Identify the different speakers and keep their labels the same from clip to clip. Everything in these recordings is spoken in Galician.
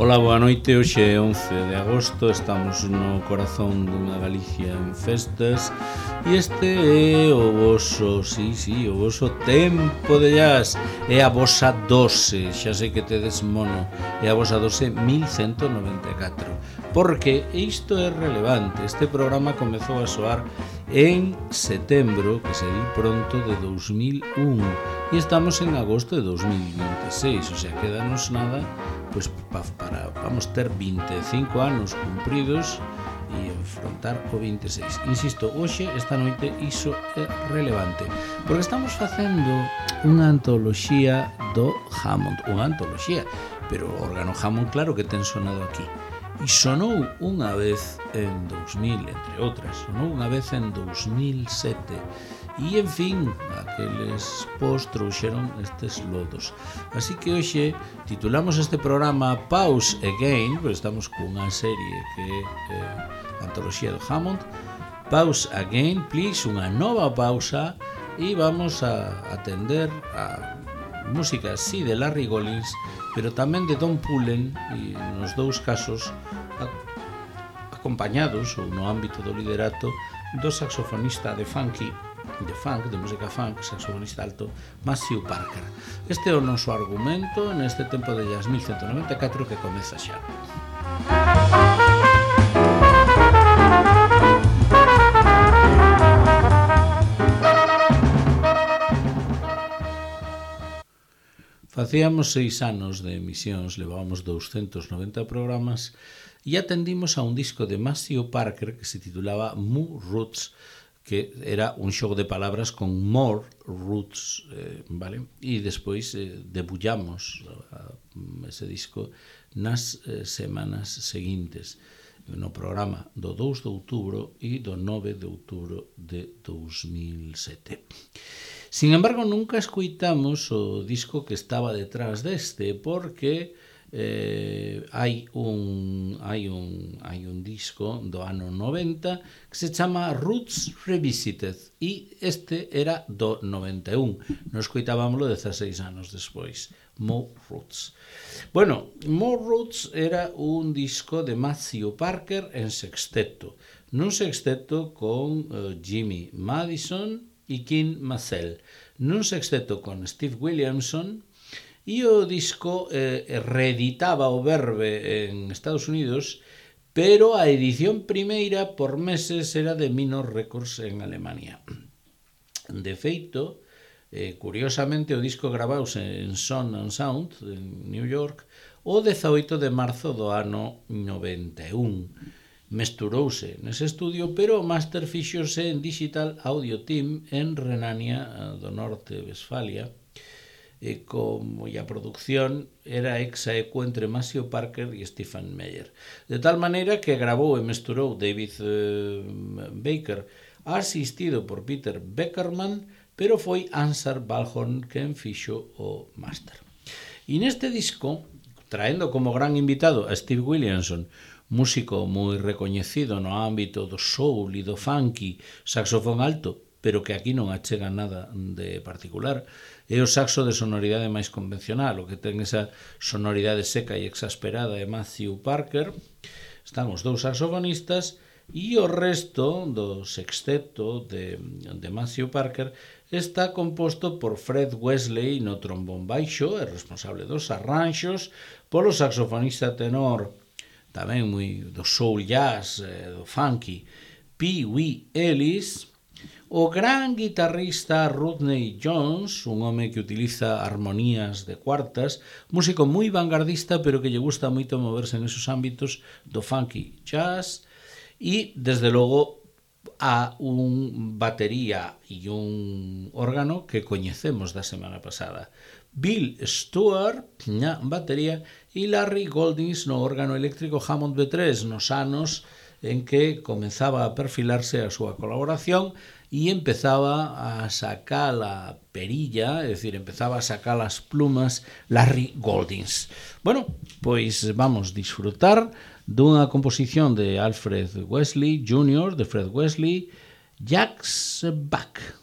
Speaker 1: Ola, boa noite, hoxe é 11 de agosto, estamos no corazón dunha Galicia en festas e este é o voso, o voso tempo de jazz, é a vosa dose, xa sei que tedes mono, é a vosa dose 1194, porque isto é relevante, este programa comezou a soar en setembro, que se di pronto, de 2001 e estamos en agosto de 2026, o sea, quedanos nada pues para vamos ter 25 anos cumpridos e enfrontar o 26. Insisto, hoxe, esta noite, iso é relevante, porque estamos facendo unha antoloxía do Hammond, unha antoloxía, pero o órgano Hammond claro que ten sonado aquí. E sonou unha vez en 2000, entre outras, sonou unha vez en 2007, e, en fin, aqueles pos trouxeron estes lodos. Así que hoxe titulamos este programa Pause Again, pero estamos cunha serie que é a antoloxía do Hammond. Pause Again, please, unha nova pausa, e vamos a atender a música, sí, de Larry Goldings, pero tamén de Don Pullen, e nos dous casos acompañados, ou no ámbito do liderato, do saxofonista de funk, de música funk, saxofonista alto, Matthew Parker. Este é o noso argumento neste tempo de jazz 1194 que comeza xa. Facíamos 6 anos de emisións, levábamos 290 programas e atendimos a un disco de Matthew Parker que se titulaba Moo Roots, que era un xogo de palabras con more roots, vale? E despois debullamos ese disco nas semanas seguintes, no programa do 2 de outubro e do 9 de outubro de 2007. Sin embargo, nunca escoitamos o disco que estaba detrás deste, porque hai un disco do ano 90 que se chama Roots Revisited e este era do 91. Nos escoitábamoslo 16 anos despois. More Roots. Bueno, More Roots era un disco de Matthew Parker en sexteto, nun sexteto con Jimmy Madison e Kim Massell, nun sexteto con Steve Williamson. E o disco reeditaba o Verve en Estados Unidos, pero a edición primeira por meses era de Minor Records en Alemania. De feito, curiosamente, o disco gravouse en Sound and Sound, en New York, o 18 de marzo do ano 91. Mesturouse nese estudio, pero o máster fixose en Digital Audio Team en Renania do Norte, Westfalia, e como a producción era ex aequo entre Matthew Parker e Stephen Meyer, de tal maneira que gravou e mesturou David Baker, asistido por Peter Beckerman, pero foi Ansar Balhorn quen fixo o máster. E neste disco, traendo como gran invitado a Steve Williamson, músico moi recoñecido no ámbito do soul e do funky, saxofón alto, pero que aquí non achega nada de particular, é o saxo de sonoridade máis convencional, o que ten esa sonoridade seca e exasperada de Matthew Parker. Están os dous saxofonistas e o resto do sexteto de Matthew Parker está composto por Fred Wesley no trombón baixo, é responsable dos arranxos, polo saxofonista tenor, tamén moi do soul jazz, do funky, Pee Wee Ellis, o gran guitarrista Rodney Jones, un home que utiliza armonías de cuartas, músico moi vanguardista, pero que lle gusta moito moverse en esos ámbitos do funky jazz, e, desde logo, a un batería e un órgano que coñecemos da semana pasada. Bill Stewart na batería e Larry Goldings no órgano eléctrico Hammond B3 nos anos en que comenzaba a perfilarse a súa colaboración e empezaba a sacar a perilla, é dicir, empezaba a sacar as plumas Larry Goldings. Bueno, pois vamos disfrutar dunha composición de Alfred Wesley Jr., de Fred Wesley, Jack's Back.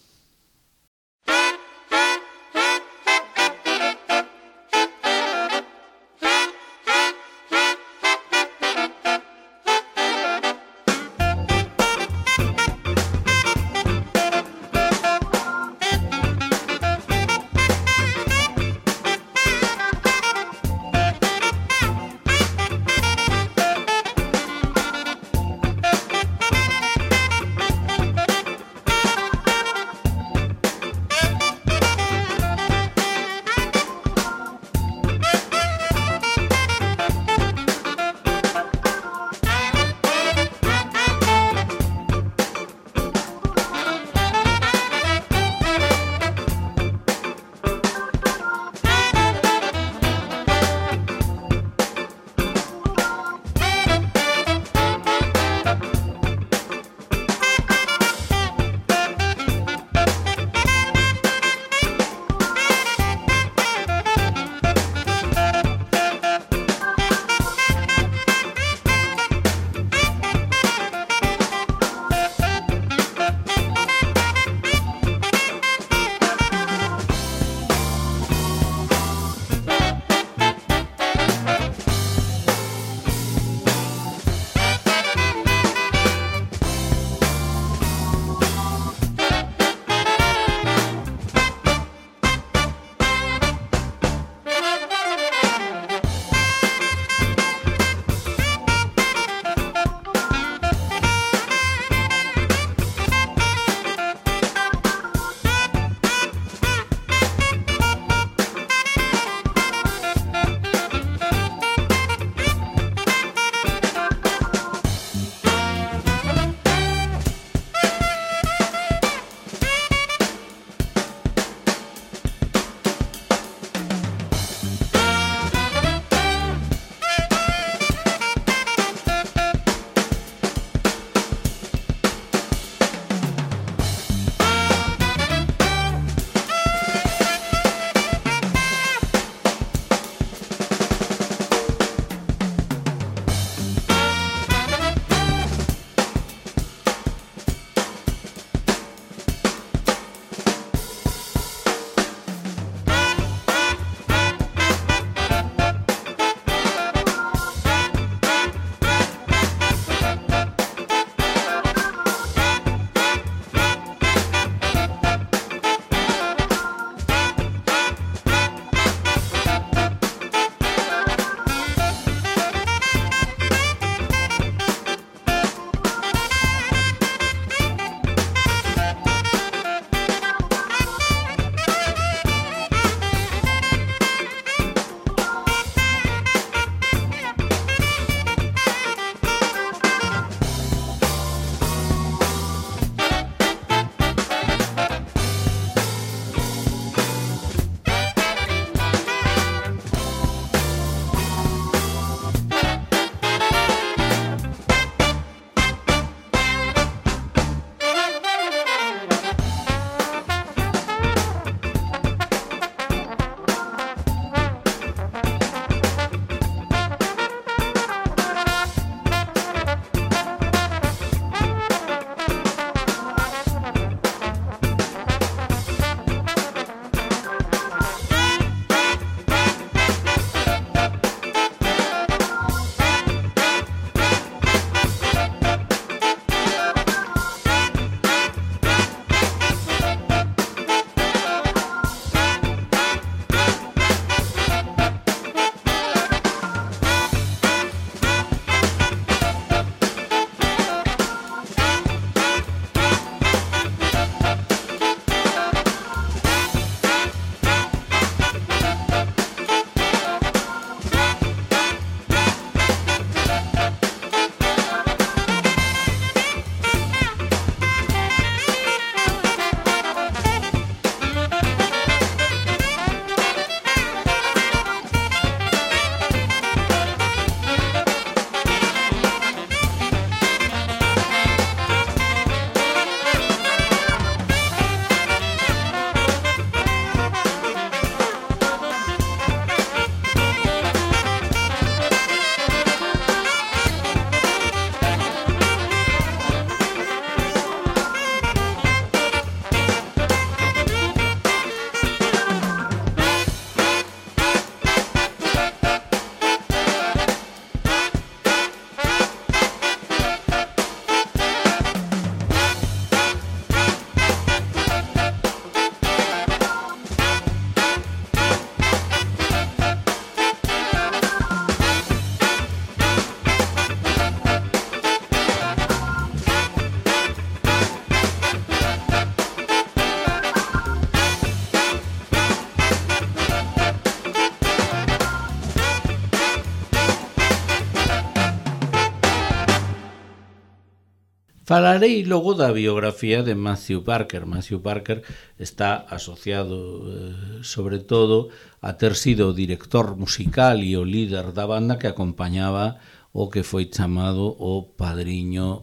Speaker 1: Falarei logo da biografía de Matthew Parker. Matthew Parker está asociado sobre todo a ter sido o director musical e o líder da banda que acompañaba o que foi chamado o padriño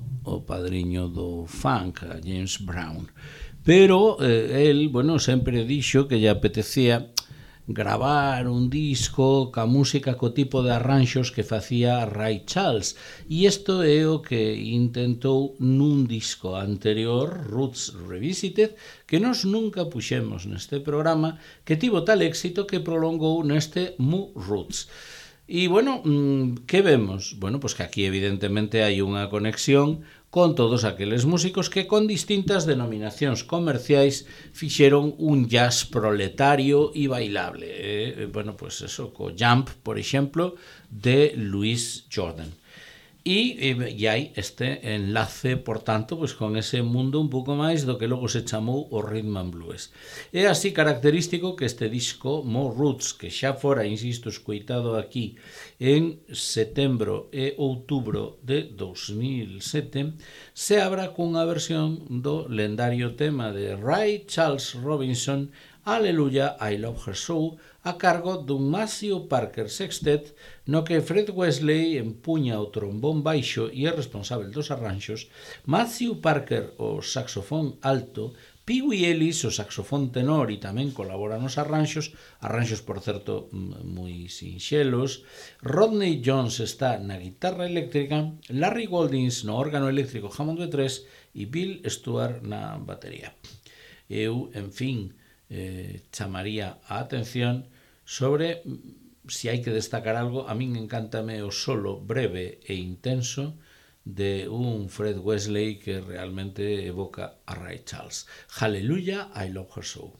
Speaker 1: do funk, a James Brown. Pero el, sempre dixo que lle apetecía gravar un disco ca música co tipo de arranxos que facía Ray Charles, e isto é o que intentou nun disco anterior, Roots Revisited, que nós nunca puxemos neste programa, que tivo tal éxito que prolongou neste Mu Roots. E, que vemos? Pois que aquí evidentemente hai unha conexión con todos aqueles músicos que con distintas denominacións comerciais fixeron un jazz proletario e bailable. Pois eso, co Jump, por exemplo, de Louis Jordan. E hai este enlace, por tanto, pois con ese mundo un pouco máis do que logo se chamou o Rhythm and Blues. É así característico que este disco, More Roots, que xa fora, insisto, escoitado aquí en setembro e outubro de 2007, se abra cunha versión do lendario tema de Ray Charles Robinson, Hallelujah, I Love Her So, a cargo dun Matthew Parker Sextet, no que Fred Wesley empuña o trombón baixo e é responsable dos arranxos, Matthew Parker o saxofón alto, Pee Wee Ellis o saxofón tenor e tamén colabora nos arranxos, por certo moi sinxelos, Rodney Jones está na guitarra eléctrica, Larry Goldings no órgano eléctrico Hammond B3 e Bill Stewart na batería. Eu, en fin, chamaría a atención sobre se hai que destacar algo. A min encántame o solo breve e intenso de un Fred Wesley que realmente evoca a Ray Charles. Hallelujah, I Love Her So.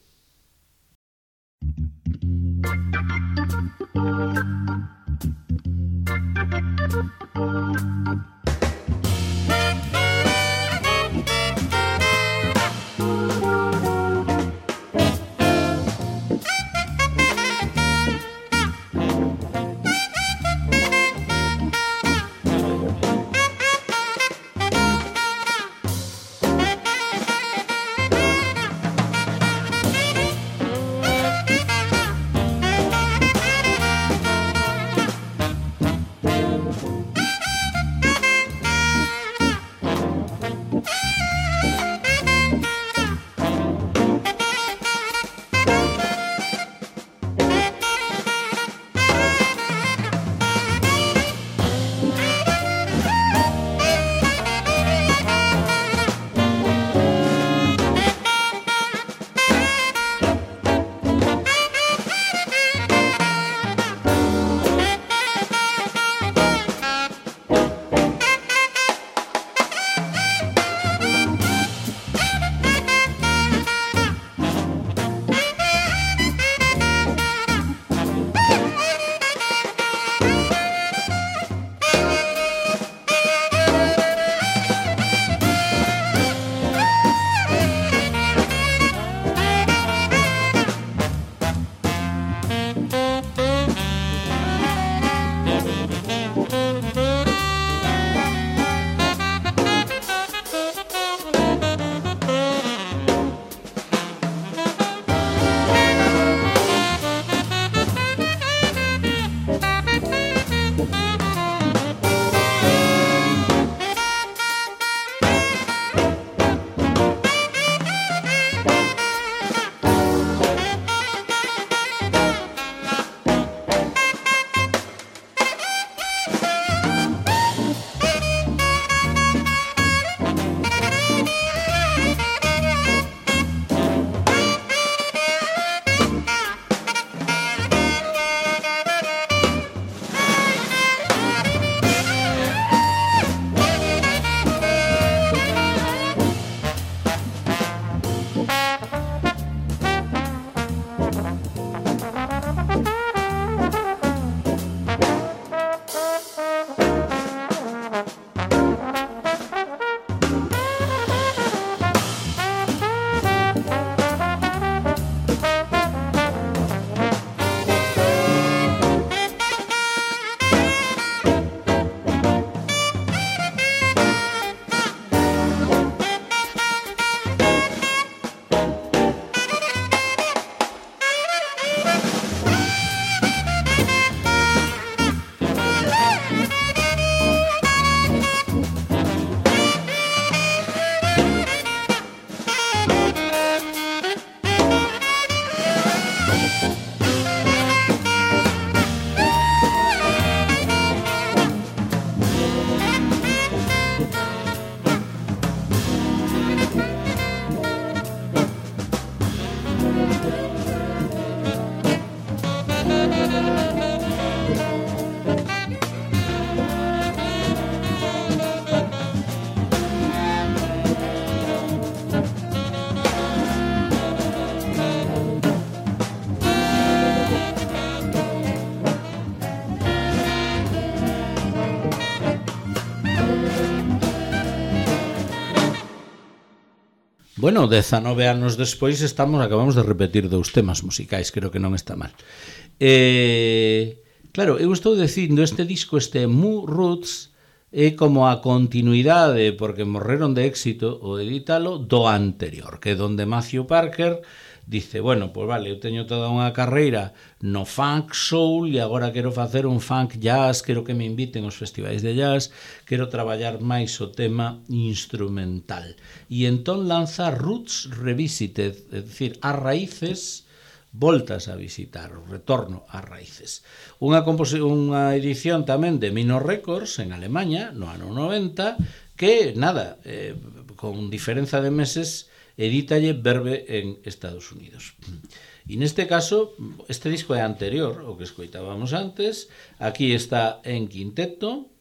Speaker 1: Bueno, 19 anos despois acabamos de repetir 2 temas musicais, creo que non está mal. Claro, eu estou dicindo este disco, este Moo Roots, é como a continuidade, porque morreron de éxito o edítalo, do anterior, que é donde Matthew Parker dice, bueno, pois vale, eu teño toda unha carreira no funk soul e agora quero facer un funk jazz, quero que me inviten aos festivais de jazz, quero traballar máis o tema instrumental. E entón lanza Roots Revisited, é dicir, as raíces voltas a visitar, o retorno ás raíces. Unha edición tamén de Minor Records en Alemanha, no ano 90, que, nada, con diferenza de meses, edítalle Verve en Estados Unidos. E neste caso, este disco é anterior ao que escoitábamos antes. Aquí está en quinteto,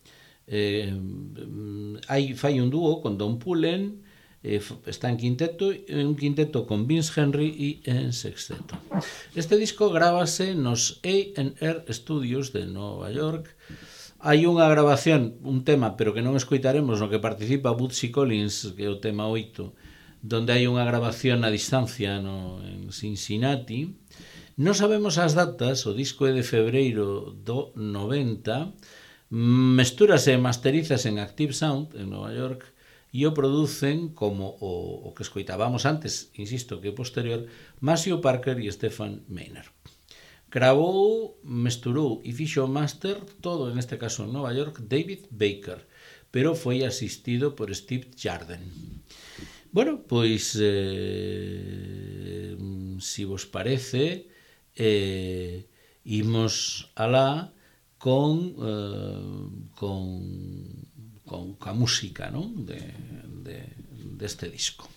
Speaker 1: fai un dúo con Don Pullen, está en quinteto, un quinteto con Vince Henry e en sexteto. Este disco grábase nos A&R Studios de Nova York. Hai unha grabación, un tema, pero que non escoitaremos, no que participa Bootsy Collins, que é o tema 8, donde hai unha grabación a distancia en Cincinnati. Non sabemos as datas, o disco é de febreiro do 90, mestúrase e masterizase en Active Sound en Nova York e o producen como o que escoitábamos antes, insisto, que é posterior, Maceo Parker e Stephen Maynard. Gravou, mesturou e fixo master todo, en este caso en Nova York, David Baker, pero foi asistido por Steve Jarden. Bueno, pois, si vos parece, imos alá con a música, non? Deste disco.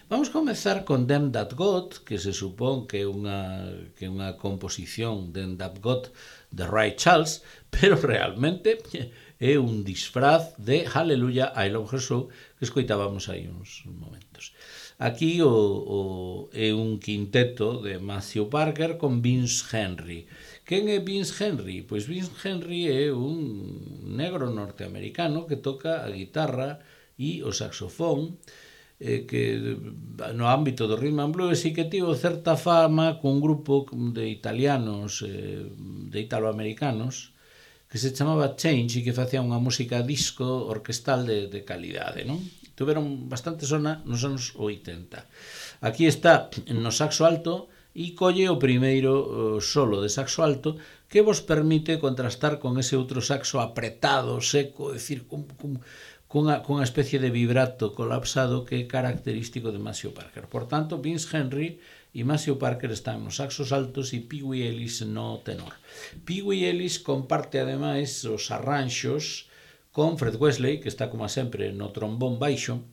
Speaker 1: Vamos comezar con Them That Got, que se supón que é unha composición Them That Got de Ray Charles, pero realmente é un disfraz de Hallelujah, I Love Her So, que escoitábamos aí uns momentos. Aquí é un quinteto de Matthew Parker con Vince Henry. Quen é Vince Henry? Pois Vince Henry é un negro norteamericano que toca a guitarra e o saxofón, que no ámbito do rhythm and blues e que tivo certa fama con un grupo de italianos, de italoamericanos, que se chamaba Change e que facía unha música disco orquestal de calidade, non? Tuveron bastante sona nos anos 80. Aquí está no saxo alto e colle o primeiro solo de saxo alto que vos permite contrastar con ese outro saxo apretado, seco, é dicir, cunha especie de vibrato colapsado que é característico de Maceo Parker. Por tanto, Vince Henry e Maceo Parker están nos saxos altos e Pee Wee Ellis no tenor. Pee Wee Ellis comparte ademais os arranxos con Fred Wesley, que está como sempre no trombón baixo.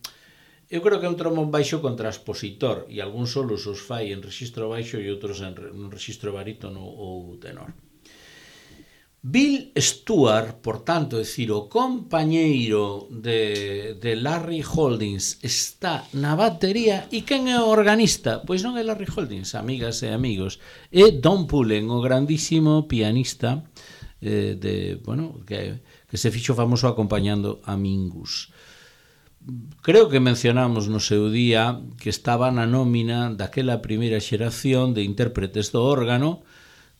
Speaker 1: Eu creo que é un trombón baixo con transpositor e algúns solos os fai en rexistro baixo e outros en rexistro barítono ou tenor. Bill Stewart, por tanto, é dicir, o compañeiro de Larry Holdings está na batería. E quen é o organista? Pois non é Larry Holdings, amigas e amigos, é Don Pullen, o grandísimo pianista que se fixo famoso acompañando a Mingus. Creo que mencionamos no seu día que estaba na nómina daquela primeira xeración de intérpretes do órgano,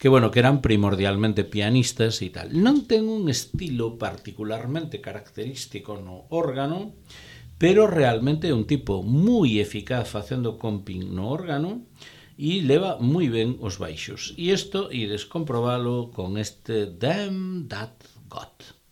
Speaker 1: que eran primordialmente pianistas e tal. Non ten un estilo particularmente característico no órgano, pero realmente é un tipo moi eficaz facendo comping no órgano e leva moi ben os baixos. E isto ides comprobalo con este Them That Got.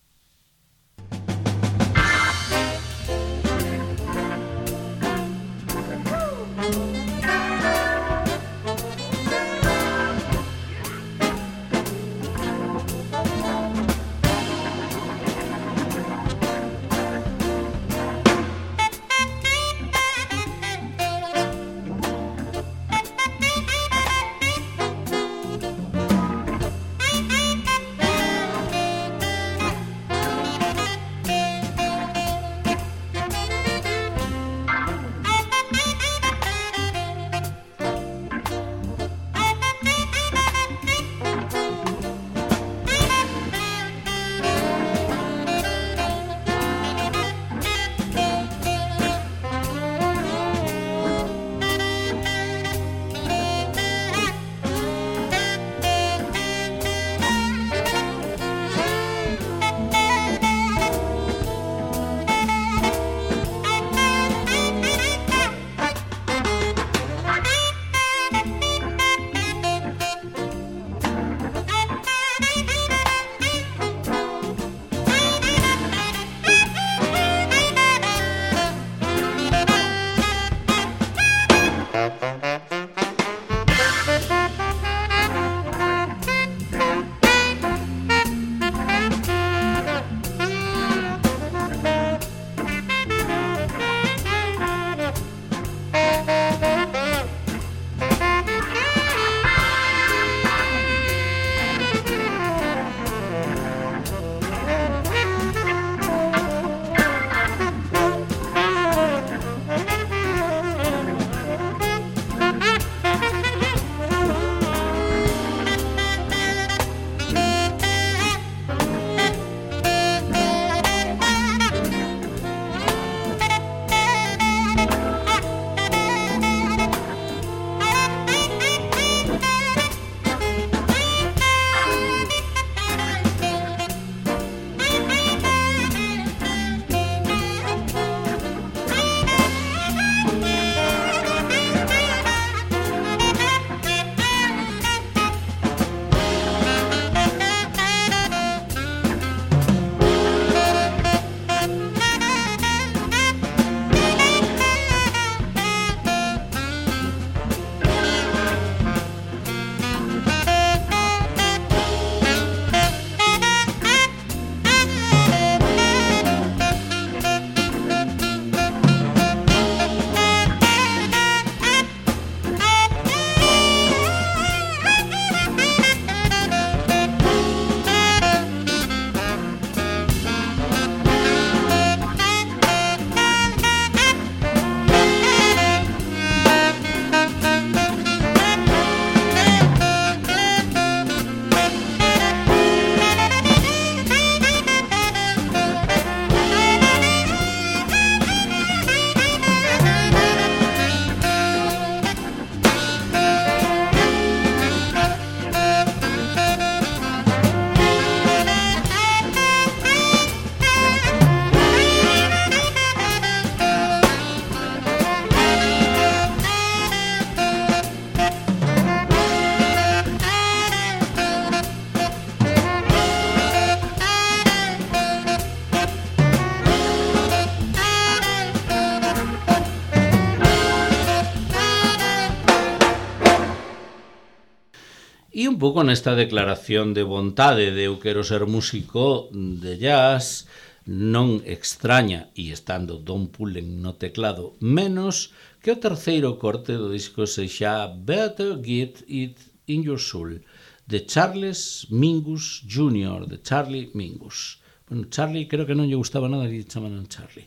Speaker 1: E un pouco nesta declaración de vontade de eu quero ser músico de jazz, non extraña, e estando Don Pullen no teclado menos, que o terceiro corte do disco sexa Better Get It in Your Soul, de Charles Mingus Jr., de Charlie Mingus. Bueno, Charlie creo que non lle gustaba nada que lle chamaran Charlie.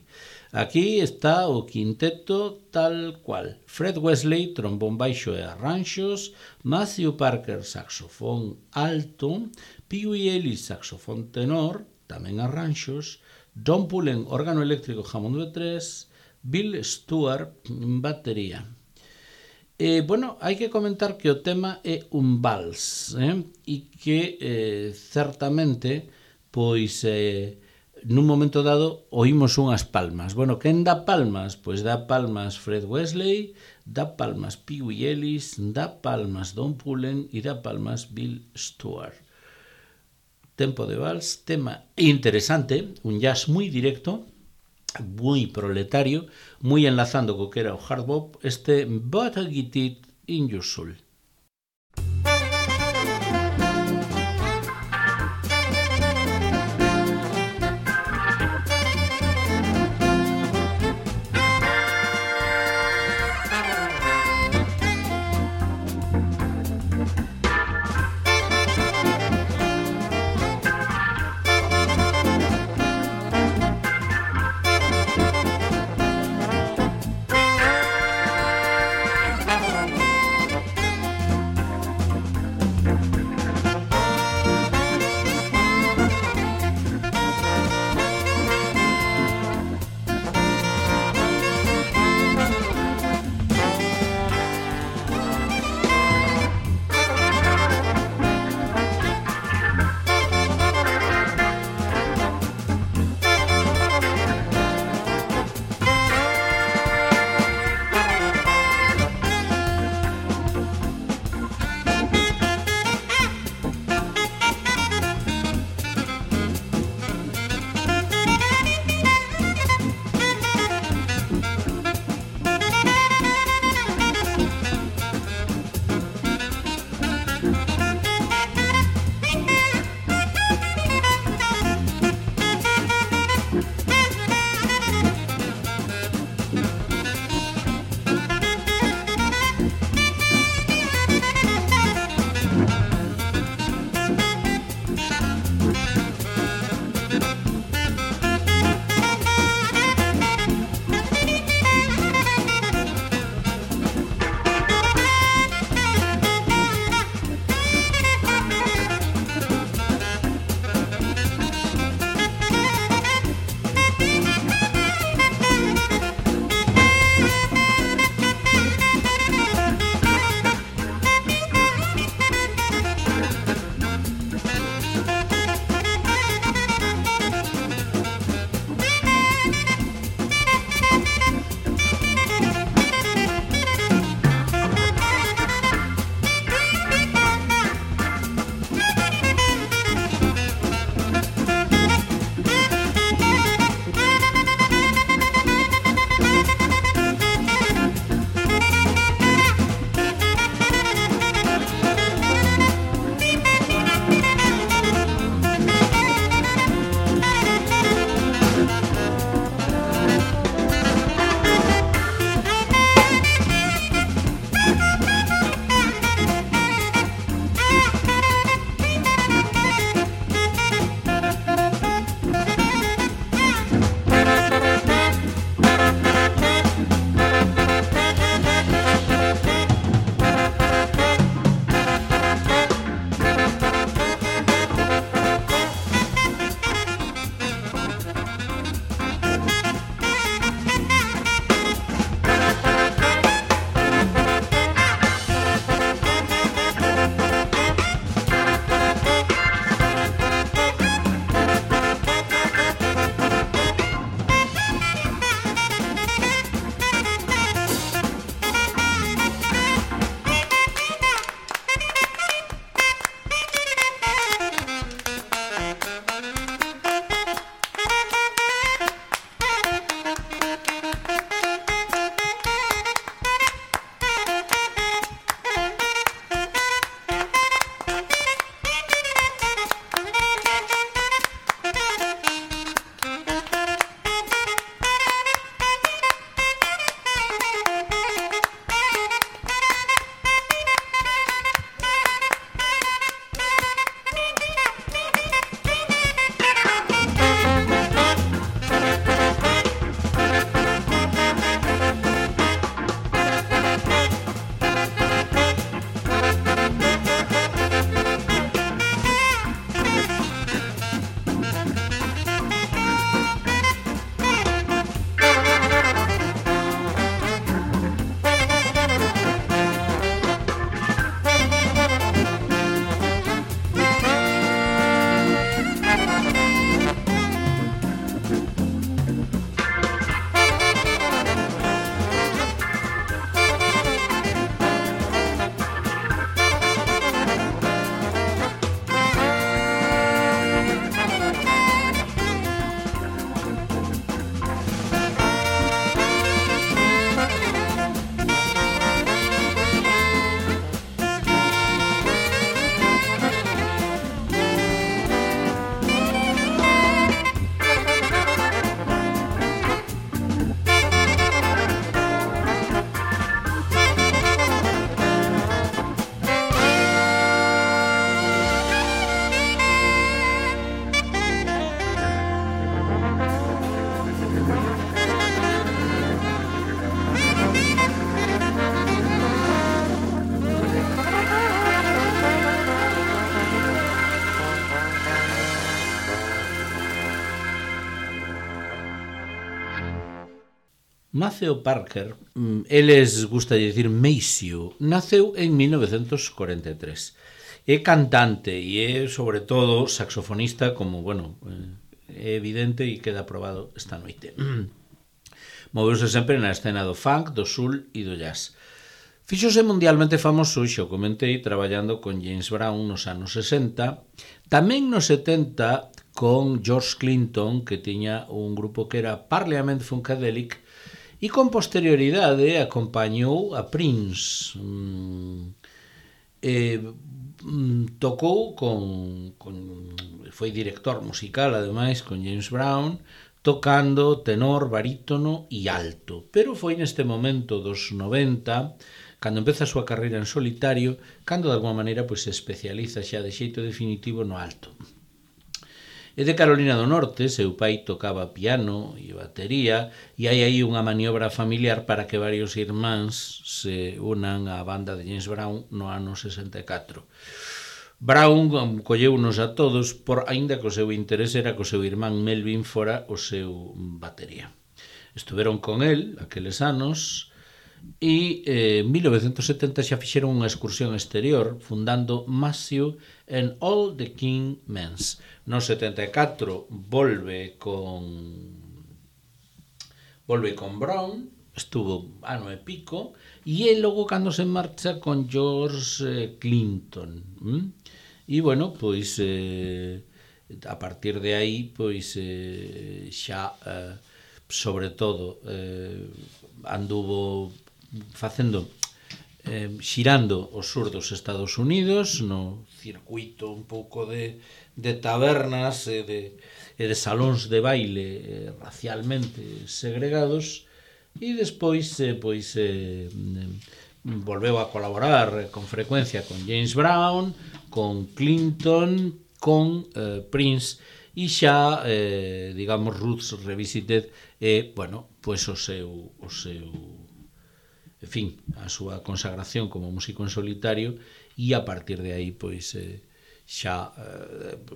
Speaker 1: Aquí está o quinteto tal cual. Fred Wesley, trombón baixo e arranxos, Matthew Parker, saxofón alto, Pee Wee Ellis, saxofón tenor, tamén arranxos, Don Pullen, órgano eléctrico Hammond B3, Bill Stewart, batería. Bueno, hai que comentar que o tema é un vals, e que certamente, pois, nun momento dado, oímos unhas palmas. Bueno, quen dá palmas? Pois dá palmas Fred Wesley, dá palmas Pee Wee Ellis, dá palmas Don Pullen e dá palmas Bill Stewart. Tempo de vals, tema interesante, un jazz moi directo, moi proletario, moi enlazando co que era o hard bop, este Better Get It in Your Soul. Maceo Parker, eles gusta de dicir Maceo, naceu en 1943. É cantante e é, sobre todo, saxofonista, como, bueno, é evidente e queda probado esta noite. Moveuse sempre na escena do funk, do soul e do jazz. Fíxose mundialmente famoso, xa o comentei, traballando con James Brown nos anos 60, tamén nos 70 con George Clinton, que tiña un grupo que era Parliament Funkadelic, e con posterioridade acompañou a Prince. Tocou foi director musical, ademais, con James Brown, tocando tenor, barítono e alto. Pero foi neste momento dos 90, cando empeza a súa carreira en solitario, cando de alguma maneira se especializa xa de xeito definitivo no alto. É de Carolina do Norte, seu pai tocaba piano e batería, e hai aí unha maniobra familiar para que varios irmáns se unan á banda de James Brown no ano 64. Brown colleunos a todos, aínda que o seu interese era que o seu irmán Melvin fora o seu batería. Estuveron con el aqueles anos, e en 1970 xa fixeron unha excursión exterior fundando Maceo and All the King Men's. No 74 volve con Brown, estuvo ano e pico, e logo cando se marcha con George Clinton. E bueno, pois a partir de aí pois xa sobre todo anduvo facendo xirando o sur dos Estados Unidos no circuito un pouco de tabernas e de salóns de baile racialmente segregados, e despois volveu a colaborar con frecuencia con James Brown, con Clinton, con Prince, e xa, digamos, Roots Revisited é, bueno, pois o seu en fin, a súa consagración como músico en solitario, e a partir de aí, pois, xa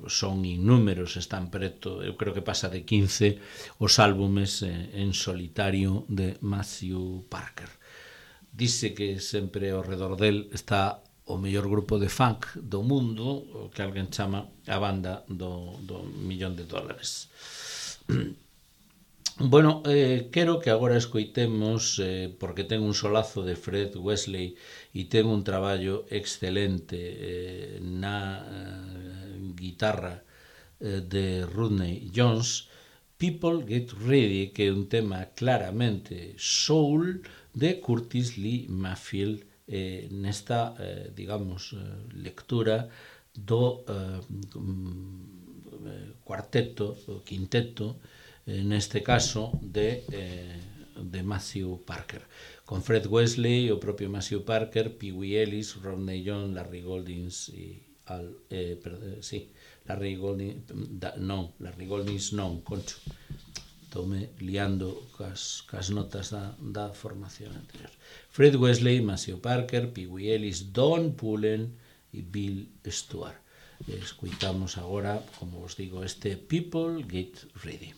Speaker 1: son innúmeros, están preto, eu creo que pasa de 15 os álbumes en solitario de Maceo Parker. Dice que sempre ao redor del está o mellor grupo de funk do mundo, o que alguén chama a banda do $1,000,000. Bueno, quero que agora escoitemos, porque ten un solazo de Fred Wesley e ten un traballo excelente na guitarra de Rodney Jones, People Get Ready, que é un tema claramente soul de Curtis Lee Mayfield, nesta, digamos, lectura do cuarteto, o quinteto, neste caso de Maceo Parker, con Fred Wesley, o propio Maceo Parker, Pee Wee Ellis, Rodney Jones, Larry Goldings e Larry Goldings non, concho, estoume liando cas notas da formación anterior. Fred Wesley, Maceo Parker, Pee Wee Ellis, Don Pullen e Bill Stewart. Escuitamos agora, como vos digo, este People Get Ready.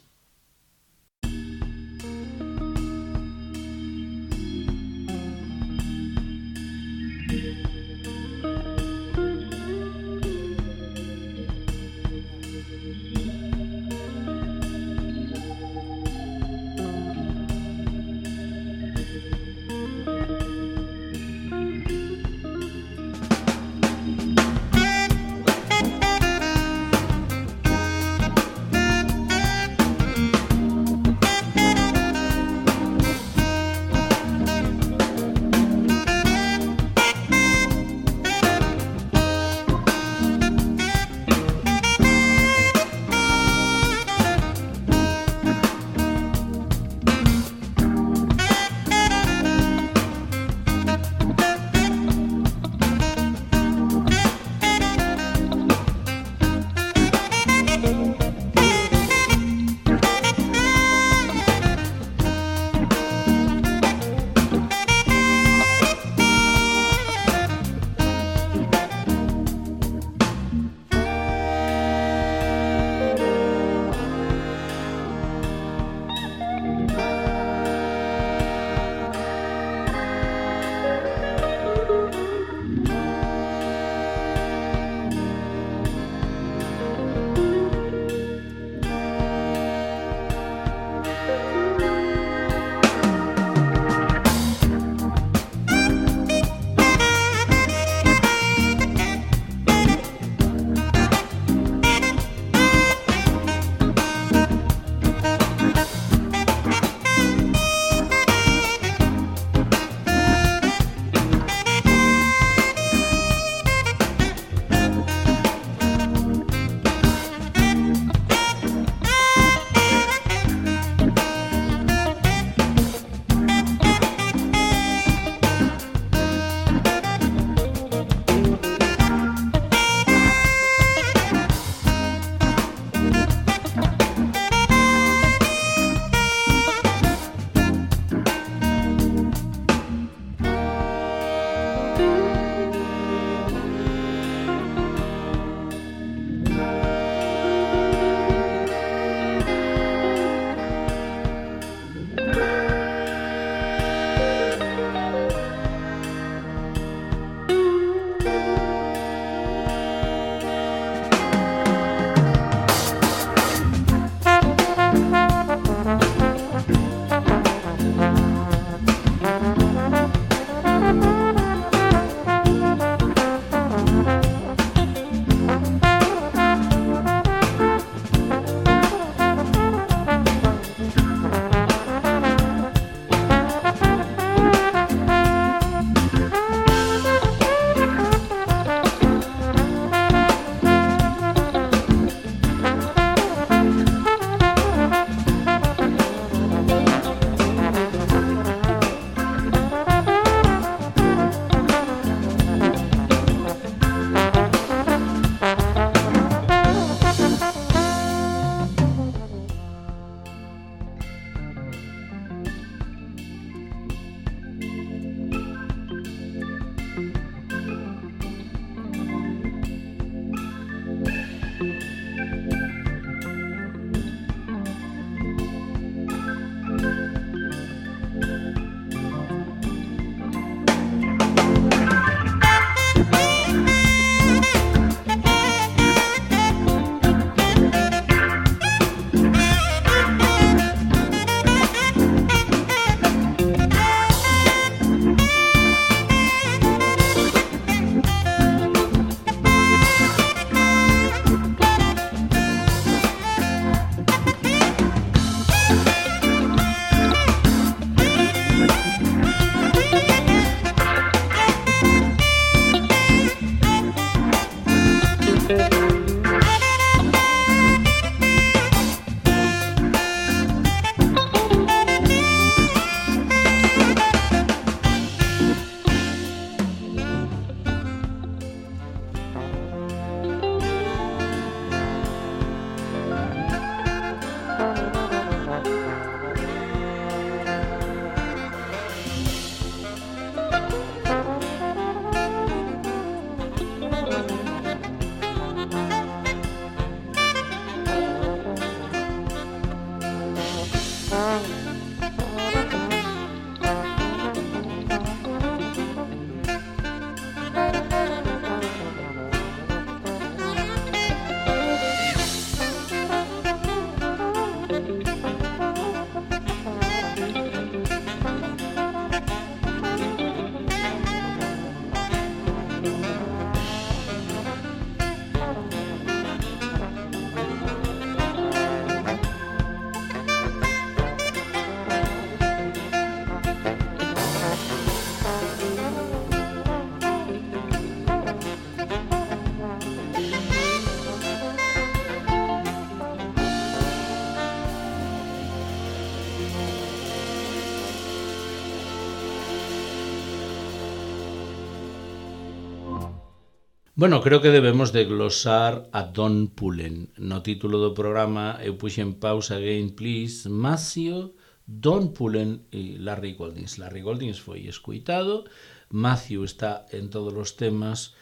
Speaker 1: Bueno, creo que debemos de glosar a Don Pullen. No título do programa eu puxen pausa again, please. Matthew, Don Pullen e Larry Goldings. Larry Goldings foi escuitado, Matthew está en todos os temas,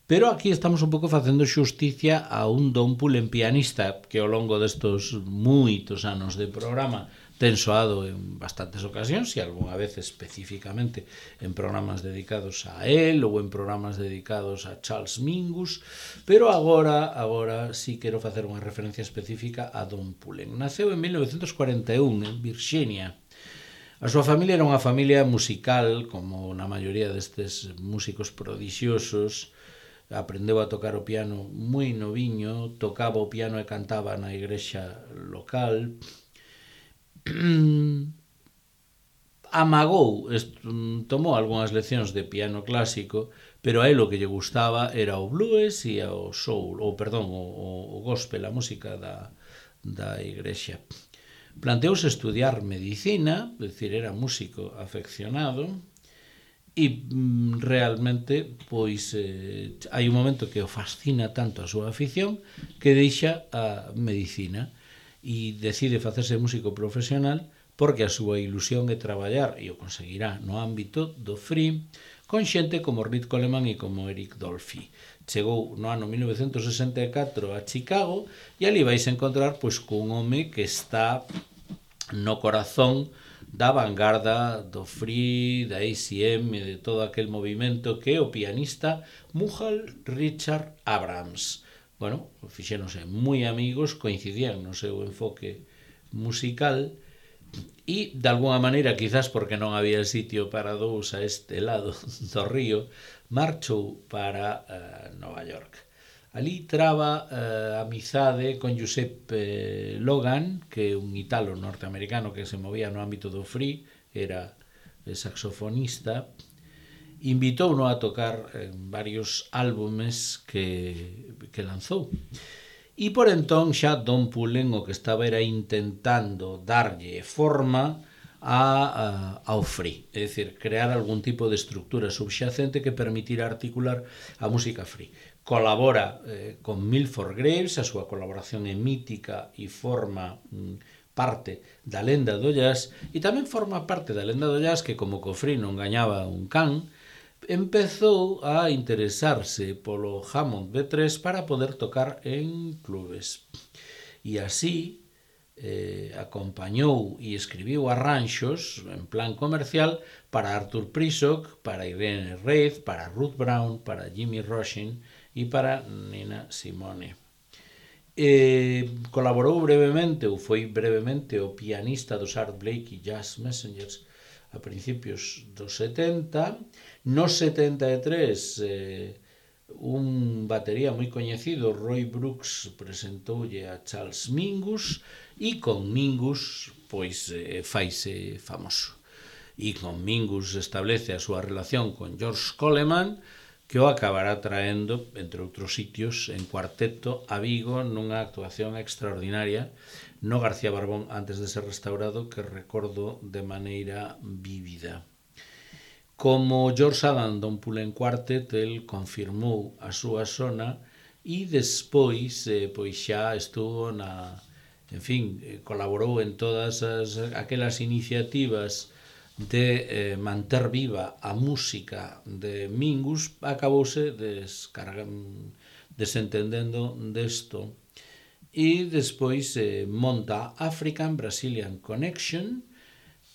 Speaker 1: pero aquí estamos un pouco facendo xusticia a un Don Pullen pianista que ao longo destos moitos anos de programa ten soado en bastantes ocasións e algunha vez especificamente en programas dedicados a él ou en programas dedicados a Charles Mingus, pero agora sí quero facer unha referencia específica a Don Pullen. Naceu en 1941 en Virginia. A súa familia era unha familia musical, como na maioría destes músicos prodixiosos. Aprendeu a tocar o piano moi noviño, tocaba o piano e cantaba na igrexa local. Tomou algunhas leccións de piano clásico, pero a él o que lle gustaba era o blues e o soul, o gospel, a música da igrexa. Planteouse estudiar medicina, é dicir, era músico afeccionado, e realmente pois hai un momento que o fascina tanto a súa afición que deixa a medicina e decide facerse músico profesional porque a súa ilusión é traballar, e o conseguirá, no ámbito do free, con xente como Rit Coleman e como Eric Dolphy. Chegou no ano 1964 a Chicago e ali vais encontrar pois cun home que está no corazón da vanguarda do free, da ACM e de todo aquel movimento que é o pianista Mughal Richard Abrams. Bueno, fixéronse moi amigos, coincidían no seu enfoque musical e, de alguna maneira, quizás porque non había sitio para dous a este lado do río, marchou para Nova York. Ali traba amizade con Giuseppe Logan, que é un italo norteamericano que se movía no ámbito do free, era saxofonista. Invitouno a tocar en varios álbumes que lanzou. E por entón xa Don Pullen o que estaba era intentando darlle forma ao free, é dicir, crear algún tipo de estructura subxacente que permitira articular a música free. Colabora con Milford Graves, a súa colaboración é mítica e forma parte da lenda do jazz, e tamén forma parte da lenda do jazz que, como co free non gañaba un can, empezou a interesarse polo Hammond B3 para poder tocar en clubes. E así acompañou e escribiu arranxos en plan comercial para Arthur Prysock, para Irene Reid, para Ruth Brown, para Jimmy Rushing e para Nina Simone. Colaborou brevemente, ou foi brevemente, o pianista dos Art Blakey Jazz Messengers a principios dos 70. No 73, un batería moi coñecido, Roy Brooks, presentoulle a Charles Mingus, e con Mingus pois faise famoso. E con Mingus establece a súa relación con George Coleman, que o acabará traendo, entre outros sitios, en cuarteto a Vigo nunha actuación extraordinaria no García Barbón antes de ser restaurado, que recordo de maneira vívida. Como George Adam Don Pullen Quartet, el confirmou a súa sona e despois pois xa estuvo colaborou en todas aquelas iniciativas de manter viva a música de Mingus. Acabouse desentendendo desto e despois monta African Brazilian Connection,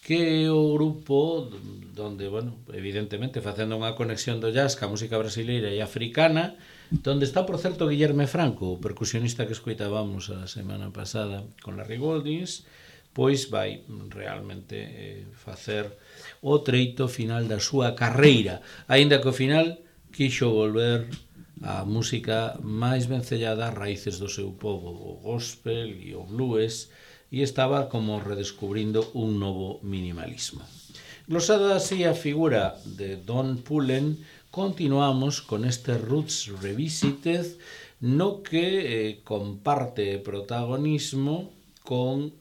Speaker 1: que é o grupo donde, evidentemente facendo unha conexión do jazz ca música brasileira e africana, donde está, por certo, Guillerme Franco, o percusionista que escoitábamos a semana pasada con Larry Goldings, pois vai realmente facer o treito final da súa carreira, aínda que ao final quixo volver a música máis vencellada ás raíces do seu povo, o gospel e o blues, e estaba como redescubrindo un novo minimalismo. Glosada así a figura de Don Pullen, continuamos con este Roots Revisited, no que comparte protagonismo con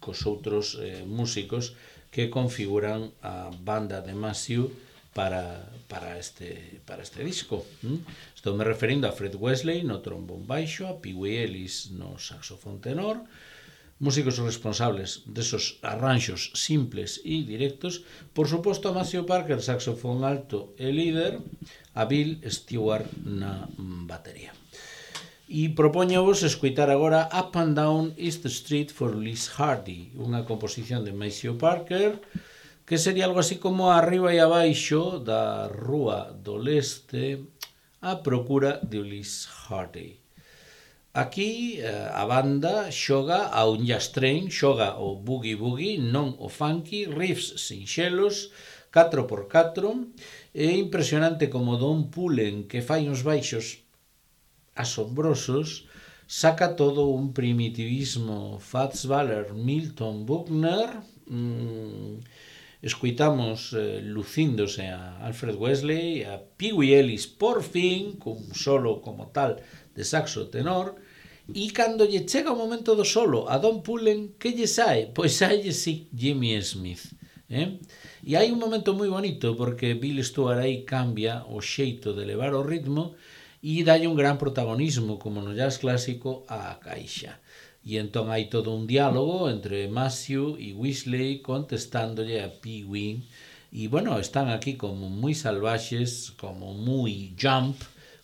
Speaker 1: cos outros músicos que configuran a banda de Matthew, para este disco. Estou me referindo a Fred Wesley no trombón baixo, a Pee Wee Ellis no saxofón tenor, músicos responsables desos arranxos simples e directos, por suposto a Maceo Parker, saxofón alto e líder, a Bill Stewart na batería. E propoñovos escoitar agora Up and Down East Street for Liz Hardy, unha composición de Maceo Parker, que sería algo así como arriba e abaixo da rúa do leste a procura de Liz Hardy. Aquí a banda xoga a un jazz train, xoga o boogie-boogie, non o funky, riffs sinxelos, 4x4, é impresionante como Don Pullen, que fai uns baixos asombrosos, saca todo un primitivismo Fats Waller, Milton Buckner. Escoitamos lucíndose a Alfred Wesley, a Pee Wee Ellis por fin, cun solo como tal de saxo tenor, e cando lle chega o momento do solo a Don Pullen, que lle sae? Pois sae sí Jimmy Smith. E hai un momento moi bonito porque Bill Stewart aí cambia o xeito de levar o ritmo e dalle un gran protagonismo, como no jazz clásico, á caixa. E entón hai todo un diálogo entre Maceo e Wesley contestándolle a Pee Wee. E, bueno, están aquí como moi salvaxes, como moi jump,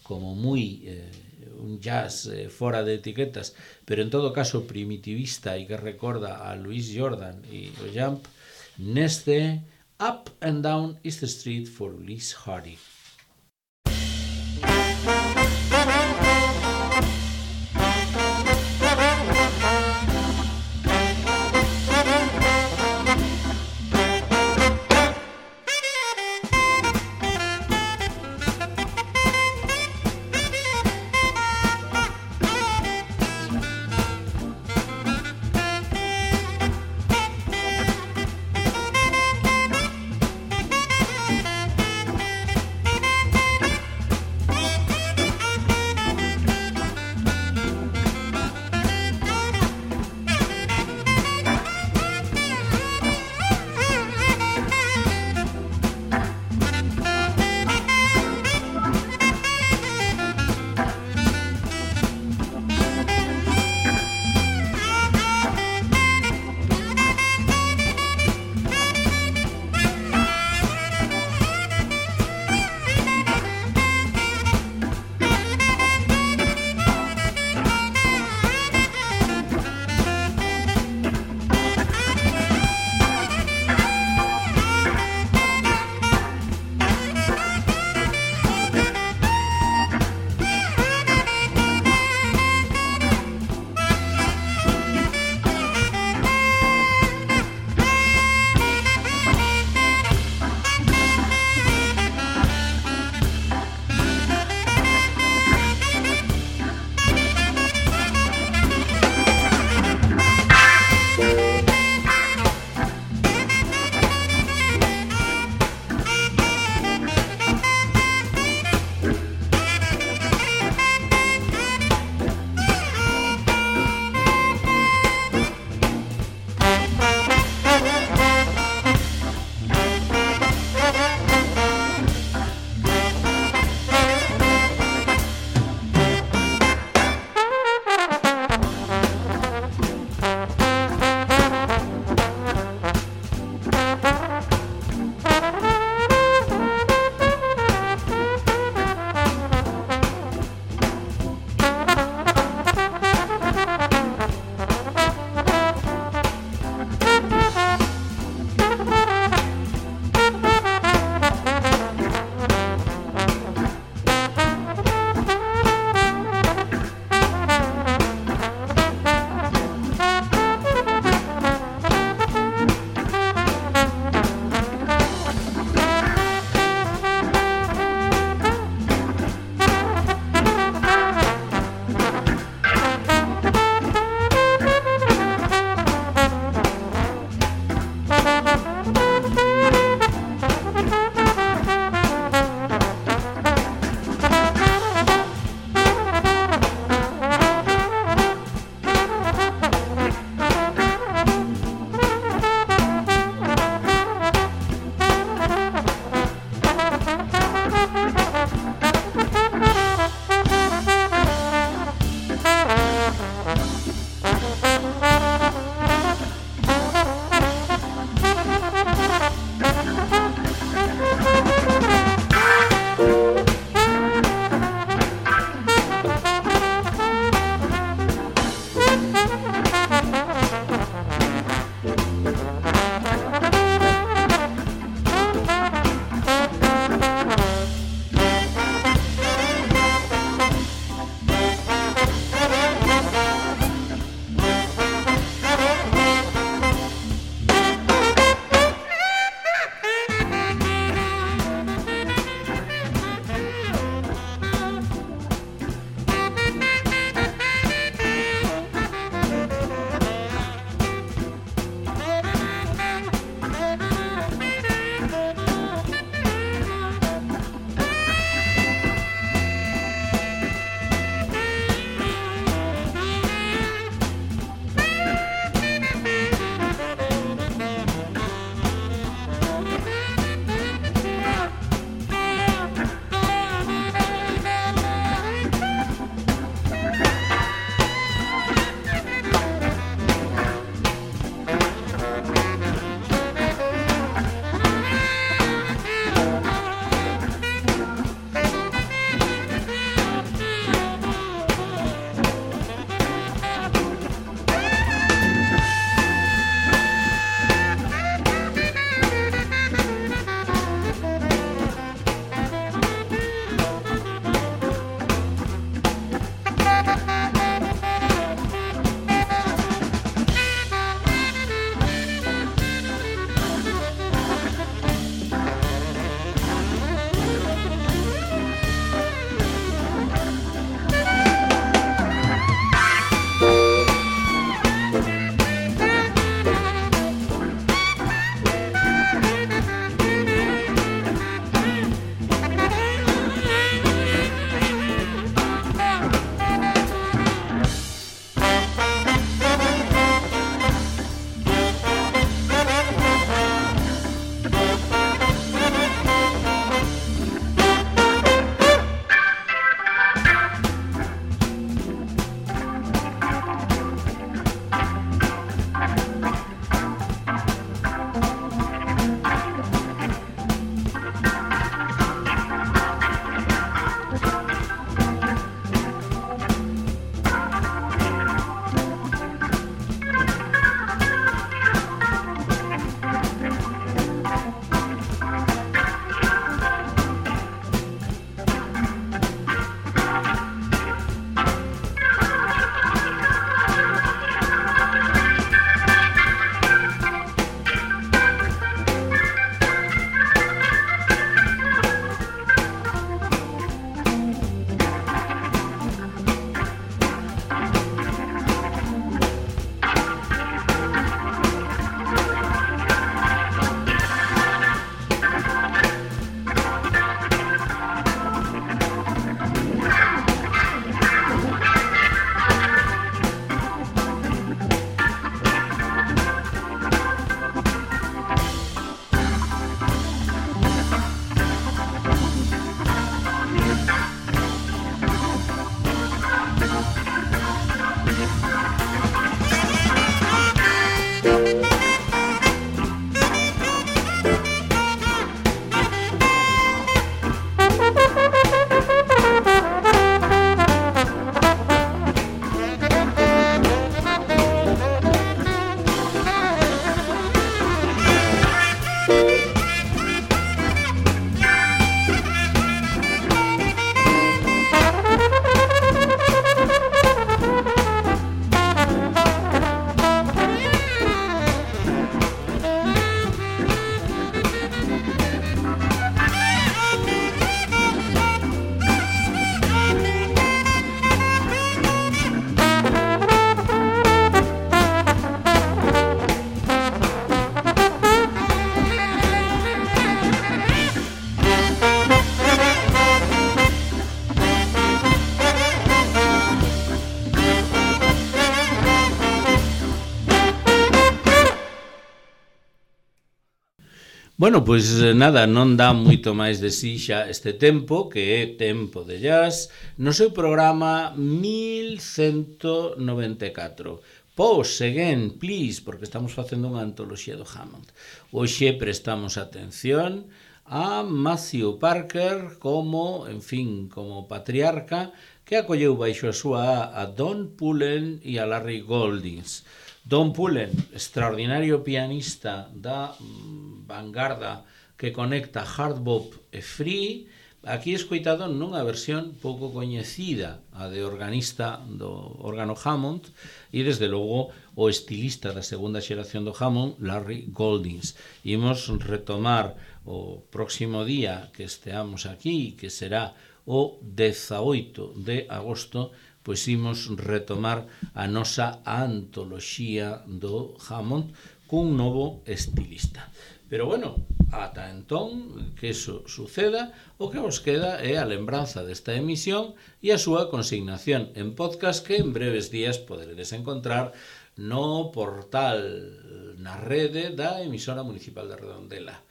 Speaker 1: como moi un jazz fora de etiquetas, pero en todo caso primitivista e que recorda a Louis Jordan e o jump, neste Up and Down East Street for Liz Hardy. Bueno, pois nada, non dá moito máis de si xa este tempo, que é Tempo de Jazz, no seu programa 1194. Pause again, please, porque estamos facendo unha antoloxía do Hammond. Hoxe prestamos atención a Matthew Parker como, en fin, como patriarca que acolleu baixo a súa a Don Pullen e a Larry Goldings. Don Pullen, extraordinario pianista da vanguarda que conecta hard bop e free, aquí escoitado nunha versión pouco coñecida, a de organista do órgano Hammond, e desde logo o estilista da segunda xeración do Hammond, Larry Goldings. Imos retomar o próximo día que esteamos aquí, que será o 18 de agosto, pois imos retomar a nosa antoloxía do Hammond cun novo estilista. Pero bueno, ata entón que eso suceda, o que vos queda é a lembranza desta emisión e a súa consignación en podcast que en breves días poderedes encontrar no portal, na rede da emisora municipal de Redondela.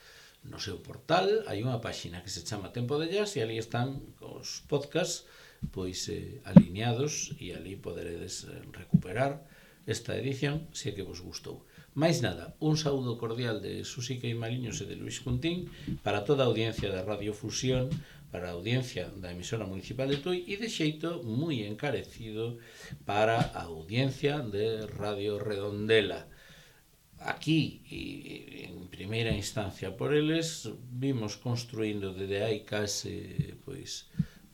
Speaker 1: No seu portal hai unha páxina que se chama Tempo de Jazz e ali están os podcasts pois alineados e ali poderedes recuperar esta edición se que vos gustou. Mais nada, un saúdo cordial de Susi Queimaliños e de Luis Juntín para toda a audiencia da Radio Fusión, para a audiencia da emisora municipal de Tui e de xeito moi encarecido para a audiencia de Radio Redondela. Aquí, en primeira instancia por eles, vimos construindo desde hai case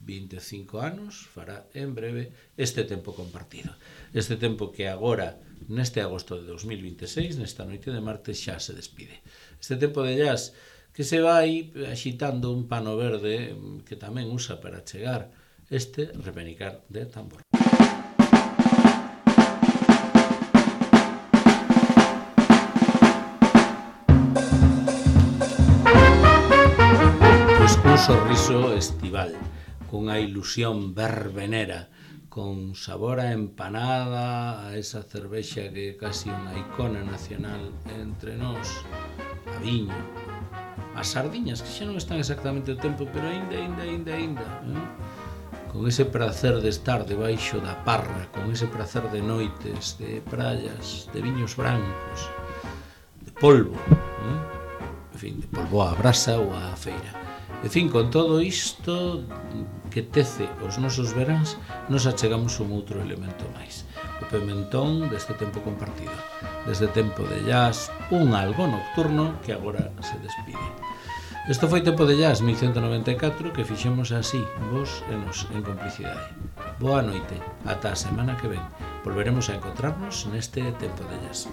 Speaker 1: 25 anos, fará en breve este tempo compartido. Este tempo que agora, neste agosto de 2026, nesta noite de martes, xa se despide. Este tempo de jazz que se vai axitando un pano verde que tamén usa para chegar este repenicar de tambor. Un sorriso estival, cunha ilusión verbenera, con sabor a empanada, a esa cervexa que é casi unha icona nacional entre nós, a viño, as sardiñas, que xa non están exactamente o tempo, pero aínda, con ese prazer de estar debaixo da parra, con ese prazer de noites, de praias, de viños brancos, de polvo, en fin, de polvo á brasa ou á feira. En fin, con todo isto que tece os nosos veráns, nos achegamos un outro elemento máis. O pimentón deste tempo compartido, desde Tempo de Jazz, un algo nocturno que agora se despide. Isto foi Tempo de Jazz 1194 que fixemos así, vos e nos en complicidade. Boa noite, ata a semana que ven. Volveremos a encontrarnos neste Tempo de Jazz.